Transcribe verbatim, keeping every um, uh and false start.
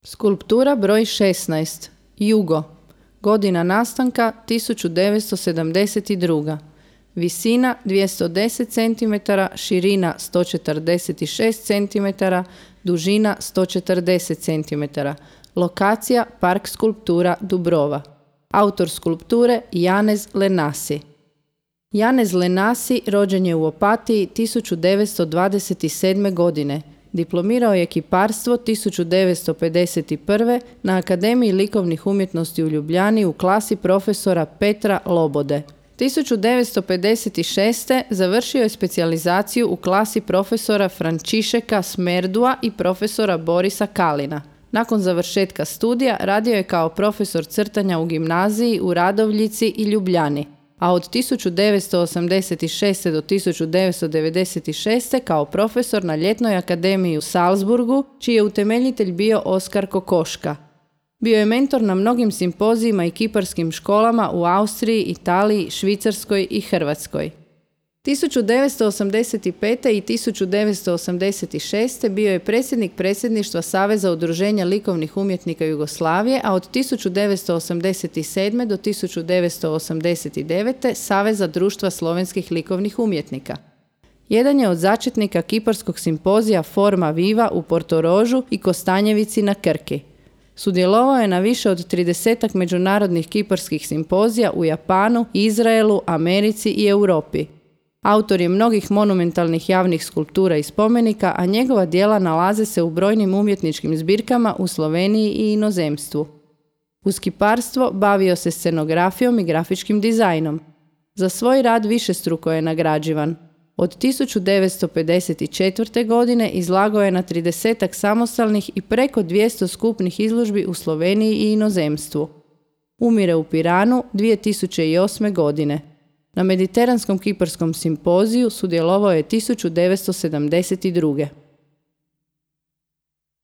Skulptura broj šesnaest. Jugo. Godina nastanka tisuću devetsto sedamdeset druga. Visina dvjesto deset centimetara, širina sto četrdeset šest centimetara, dužina sto četrdeset centimetara. Lokacija Park skulptura Dubrova. Autor skulpture Janez Lenasi. Janez Lenasi rođen je u Opatiji tisuću devetsto dvadeset sedme. godine. Diplomirao je kiparstvo tisuću devetsto pedeset prve. na Akademiji likovnih umjetnosti u Ljubljani u klasi profesora Petra Lobode. tisuću devetsto pedeset šeste. završio je specijalizaciju u klasi profesora Frančišeka Smerdua i profesora Borisa Kalina. Nakon završetka studija radio je kao profesor crtanja u gimnaziji u Radovljici i Ljubljani, a od tisuću devetsto osamdeset šeste. do tisuću devetsto devedeset šeste. kao profesor na Ljetnoj akademiji u Salzburgu, čiji je utemeljitelj bio Oskar Kokoška. Bio je mentor na mnogim simpozijima i kiparskim školama u Austriji, Italiji, Švicarskoj i Hrvatskoj. tisuću devetsto osamdeset pete. i tisuću devetsto osamdeset šeste. bio je predsjednik predsjedništva Saveza udruženja likovnih umjetnika Jugoslavije, a od tisuću devetsto osamdeset sedme. do tisuću devetsto osamdeset devete. Saveza društva slovenskih likovnih umjetnika. Jedan je od začetnika kiparskog simpozija Forma Viva u Portorožu i Kostanjevici na Krki. Sudjelovao je na više od tridesetak međunarodnih kiparskih simpozija u Japanu, Izraelu, Americi i Europi. Autor je mnogih monumentalnih javnih skulptura i spomenika, a njegova djela nalaze se u brojnim umjetničkim zbirkama u Sloveniji i inozemstvu. Uz kiparstvo bavio se scenografijom i grafičkim dizajnom. Za svoj rad višestruko je nagrađivan. Od tisuću devetsto pedeset četvrte. godine izlagao je na tridesetak samostalnih i preko dvjesto skupnih izložbi u Sloveniji i inozemstvu. Umire u Piranu dvije tisuće osme. godine. Na Mediteranskom kiparskom simpoziju sudjelovao je tisuću devetsto sedamdeset druge.